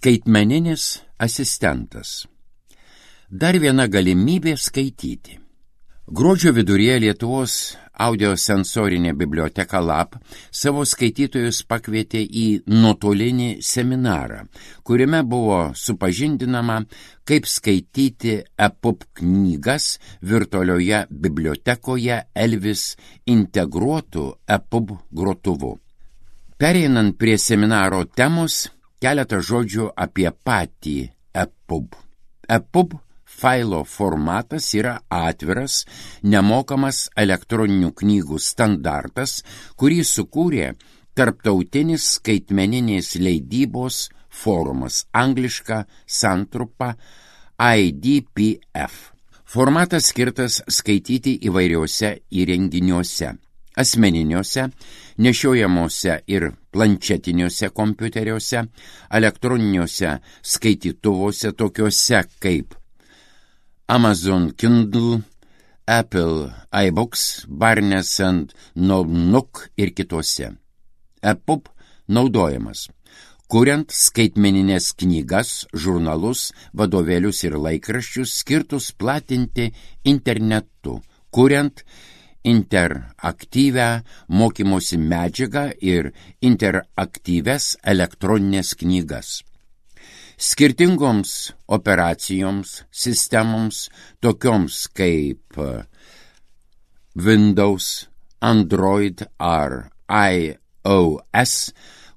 Skaitmeninis asistentas. Dar viena galimybė skaityti. Gruodžio viduryje Lietuvos audiosensorinė biblioteka LAB savo skaitytojus pakvietė į nuotolinį seminarą, kuriame buvo supažindinama, kaip skaityti EPUB knygas virtualioje bibliotekoje Elvis integruotų EPUB grotuvu. Pereinant prie seminaro temos, keletą žodžių apie patį EPUB. EPUB failo formatas yra atviras, nemokamas elektroninių knygų standartas, kurį sukūrė Tarptautinis skaitmeninės leidybos forumas, angliška santrupa IDPF. Formatas skirtas skaityti įvairiuose įrenginiuose, asmeniniuose, nešiojamuose ir planšetiniuose kompiuteriuose, elektroniniuose skaitytuvuose tokiuose kaip Amazon Kindle, Apple iBooks, Barnes & Noble ir kituose. EPUB naudojamas, kuriant skaitmeninės knygas, žurnalus, vadovėlius ir laikraščius skirtus platinti internetu, kuriant interaktyvią mokymosi medžiagą ir interaktyvias elektroninės knygas. Skirtingoms operacijoms, sistemoms, tokioms kaip Windows, Android ar iOS,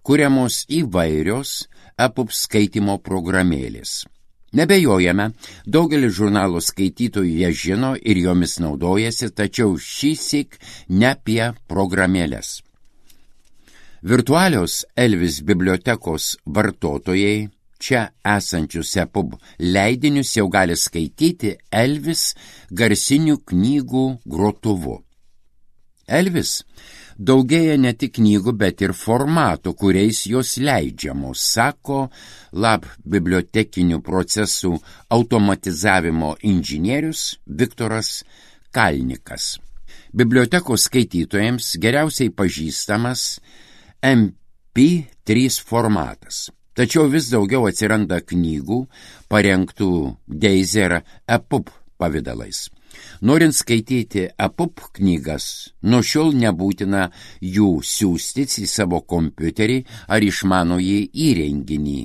kuriamos įvairios EPUB skaitimo programėlės. Nebejojame, daugelis žurnalų skaitytojų ją žino ir jomis naudojasi, tačiau šįsyk ne apie programėlės. Virtualios Elvis bibliotekos vartotojai čia esančius EPUB leidinius jau gali skaityti Elvis garsinių knygų grotuvu. Elvis daugėja ne tik knygų, bet ir formatų, kuriais jos leidžiamos, sako LAB bibliotekinių procesų automatizavimo inžinierius Viktoras Kalnikas. Bibliotekos skaitytojams geriausiai pažįstamas MP3 formatas. Tačiau vis daugiau atsiranda knygų parengtų Daisy ar EPUB pavidalais. Norint skaityti EPUB knygas, nuo šiol nebūtina jų siųstis į savo kompiuterį ar išmanųjį įrenginį,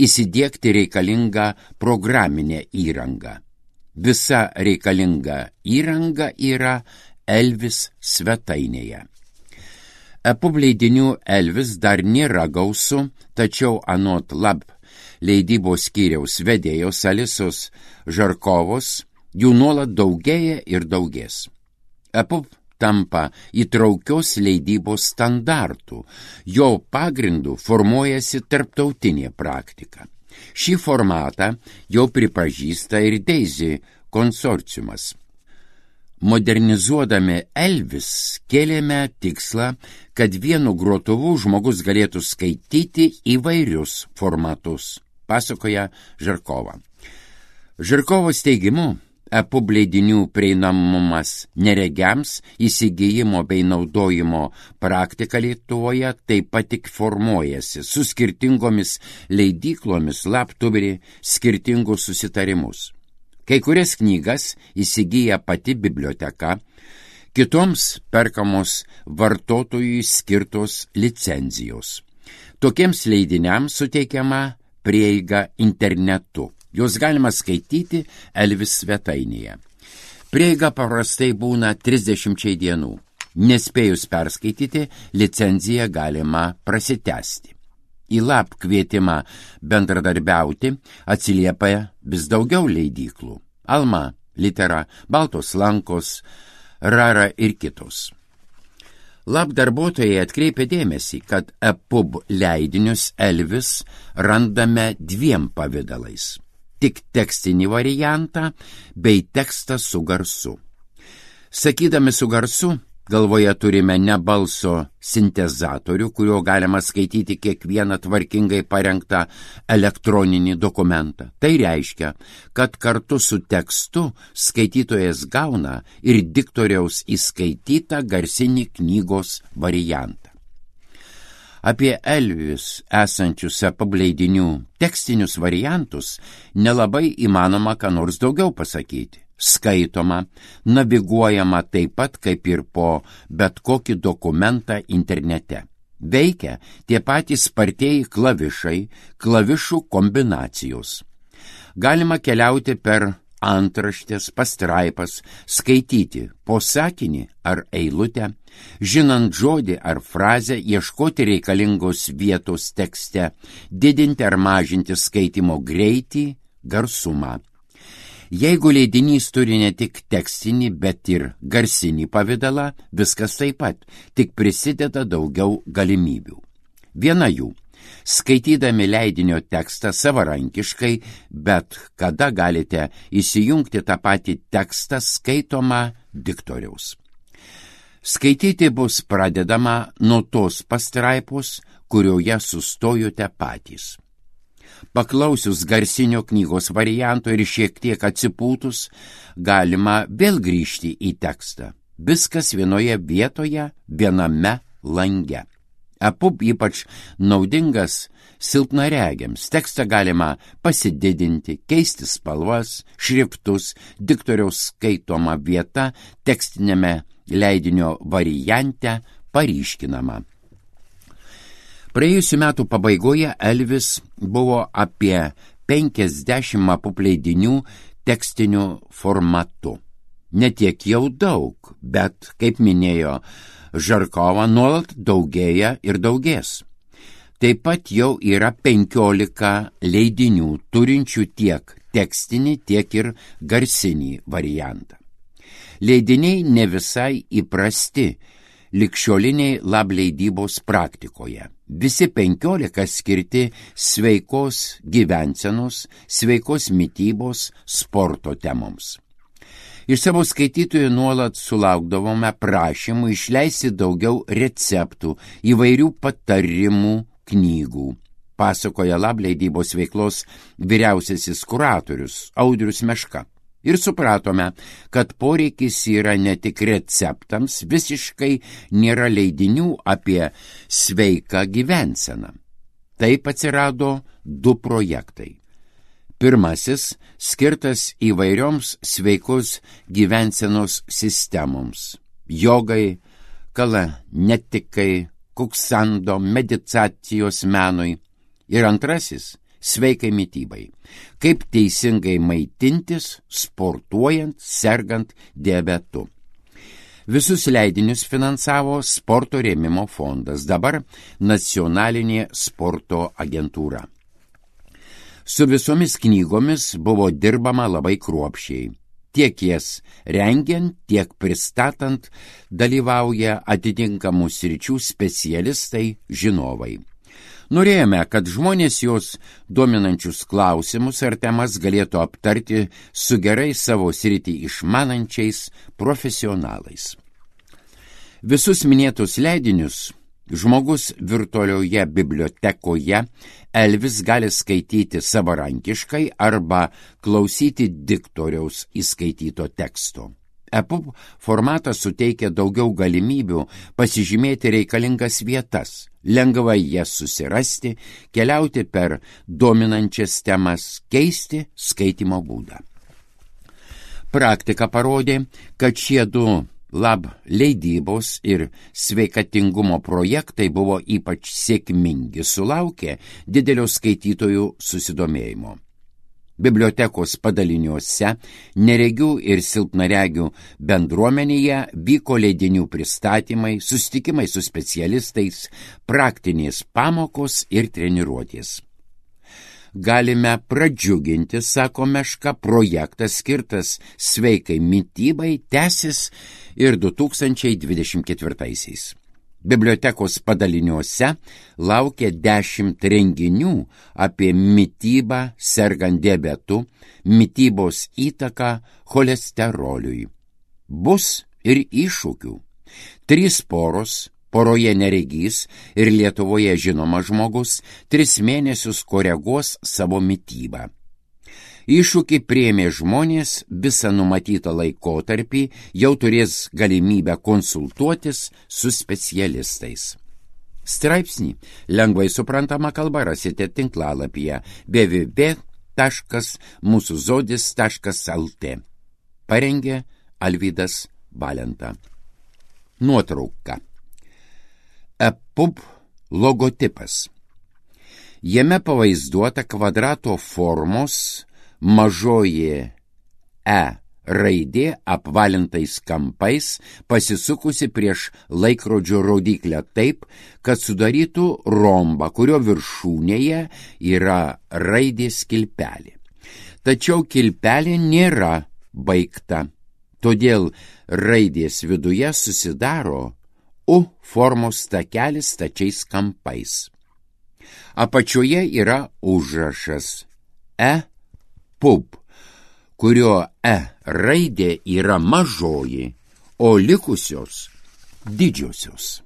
įsidiegti reikalingą programinę įrangą. Visa reikalinga įranga yra Elvis svetainėje. EPUB leidinių Elvis dar nėra gausu, tačiau anot LAB leidybos skyriaus vedėjos Alisos Žarkovos jų nuolat daugėja ir daugės. EPUB tampa įtraukios leidybos standartų, jo pagrindu formuojasi tarptautinė praktika. Šį formatą jau pripažįsta ir Daisy konsorciumas. Modernizuodami Elvis kėlėme tikslą, kad vienu grotuvu žmogus galėtų skaityti įvairius formatus, pasakoja Žarkova. Žarkovos teigimu, EPUB leidinių prieinamumas neregiams, įsigijimo bei naudojimo praktika Lietuvoje taip pat tik formuojasi, su skirtingomis leidyklomis LAB turi skirtingus susitarimus. Kai kurias knygas įsigyja pati biblioteka, kitoms perkamos vartotojui skirtos licenzijos. Tokiems leidiniams suteikiama prieiga internetu. Jos galima skaityti Elvis svetainėje. Prieiga paprastai būna 30 dienų. Nespėjus perskaityti, licenciją galima prasitęsti. Į LAB kvietimą bendradarbiauti atsiliepia vis daugiau leidyklų. Alma, Litera, Baltos lankos, Rara ir kitos. LAB darbuotojai atkreipė dėmesį, kad EPUB leidinius Elvis randame dviem pavidalais. Tik tekstinį variantą bei tekstą su garsu. Sakydami su garsu, galvoje turime ne balso sintezatorių, kurio galima skaityti kiekvieną tvarkingai parengtą elektroninį dokumentą. Tai reiškia, kad kartu su tekstu skaitytojas gauna ir diktoriaus įskaitytą garsinį knygos variantą. Apie Elvis esančius EPUB leidinių tekstinius variantus nelabai įmanoma ką nors daugiau pasakyti. Skaitoma, naviguojama taip pat kaip ir po bet kokį dokumentą internete. Veikia tie patys spartieji klavišai, klavišų kombinacijos. Galima keliauti per antraštės, pastraipas, skaityti po sakinį ar eilutę, žinant žodį ar frazę, ieškoti reikalingos vietos tekste, didinti ar mažinti skaitimo greitį, garsumą. Jeigu leidinys turi ne tik tekstinį, bet ir garsinį pavidalą, viskas taip pat, tik prisideda daugiau galimybių. Viena jų. Skaitydami leidinio tekstą savarankiškai, bet kada galite įsijungti tą patį tekstą skaitomą diktoriaus. Skaityti bus pradedama nuo tos pastraipos, kurioje sustojote patys. Paklausius garsinio knygos varianto ir šiek tiek atsipūtus, galima vėl grįžti į tekstą. Viskas vienoje vietoje, viename lange. EPUB ypač naudingas silpnaregiams. Tekstą galima pasididinti, keisti spalvas, šriftus, diktoriaus skaitoma vieta tekstinėme leidinio variante paryškinama. Praėjusių metų pabaigoje Elvis buvo apie 50 EPUB leidinių tekstiniu formatu. Ne tiek jau daug, bet, kaip minėjo Žarkova, nuolat daugėja ir daugės. Taip pat jau yra 15 leidinių turinčių tiek tekstinį, tiek ir garsinį variantą. Leidiniai ne visai įprasti ligšioliniai lableidybos praktikoje. Visi 15 skirti sveikos gyvensenos, sveikos mitybos, sporto temoms. Iš savo skaitytojų nuolat sulaukdavome prašymų išleisti daugiau receptų, įvairių patarimų knygų, pasakoja lableidybos veiklos vyriausiasis kuratorius Audrius Meška. Ir supratome, kad poreikis yra ne tik receptams, visiškai nėra leidinių apie sveiką gyvenseną. Taip atsirado 2 projektai. Pirmasis skirtas įvairioms sveikos gyvensenos sistemoms – jogai, kalanetikai, kuksando, meditacijos menui. Ir antrasis – sveikai mitybai. Kaip teisingai maitintis, sportuojant, sergant diabetu. Visus leidinius finansavo sporto rėmimo fondas, dabar Nacionalinė sporto agentūra. Su visomis knygomis buvo dirbama labai kruopščiai. Tiek jas rengiant, tiek pristatant dalyvauja atitinkamų sričių specialistai, žinovai. Norėjome, kad žmonės jos dominančius klausimus ar temas galėtų aptarti su gerai savo sritį išmanančiais profesionalais. Visus minėtus leidinius žmogus virtualioje bibliotekoje Elvis gali skaityti savarankiškai arba klausyti diktoriaus įskaityto teksto. EPUB formatas suteikia daugiau galimybių pasižymėti reikalingas vietas, lengvai jas susirasti, keliauti per dominančias temas, keisti skaitymo būdą. Praktika parodė, kad šie 2 leidybos ir sveikatingumo projektai buvo ypač sėkmingi, sulaukė didelio skaitytojų susidomėjimo. Bibliotekos padaliniuose, neregių ir silpnaregių bendruomenėje vyko leidinių pristatymai, susitikimai su specialistais, praktinės pamokos ir treniruotės. Galime pradžiuginti, sako Meška, projektas skirtas sveikai mitybai tęsis ir 2024. Bibliotekos padaliniuose laukia 10 renginių apie mitybą sergant diabetu, mitybos įtaką cholesteroliui. Bus ir iššūkių. 3 poros, poroje neregys ir Lietuvoje žinomas žmogus 3 mėnesius koreguos savo mitybą. Iššūkį priėmė žmonės visą numatytą laikotarpį, jau turės galimybę konsultuotis su specialistais. Straipsnį lengvai suprantama kalba rasite tinklalapyje www.musuzodis.lt. Parengė Alvydas Valenta. Nuotrauka. EPUB logotipas. Jame pavaizduota kvadrato formos mažoji E raidė apvalintais kampais pasisukusi prieš laikrodžio rodyklę taip, kad sudarytų rombą, kurio viršūnėje yra raidės kilpelė. Tačiau kilpelė nėra baigta, todėl raidės viduje susidaro U formos takelis stačiais kampais. Apačioje yra užrašas EPUB, kurio E raidė yra mažoji, o likusios didžiosios.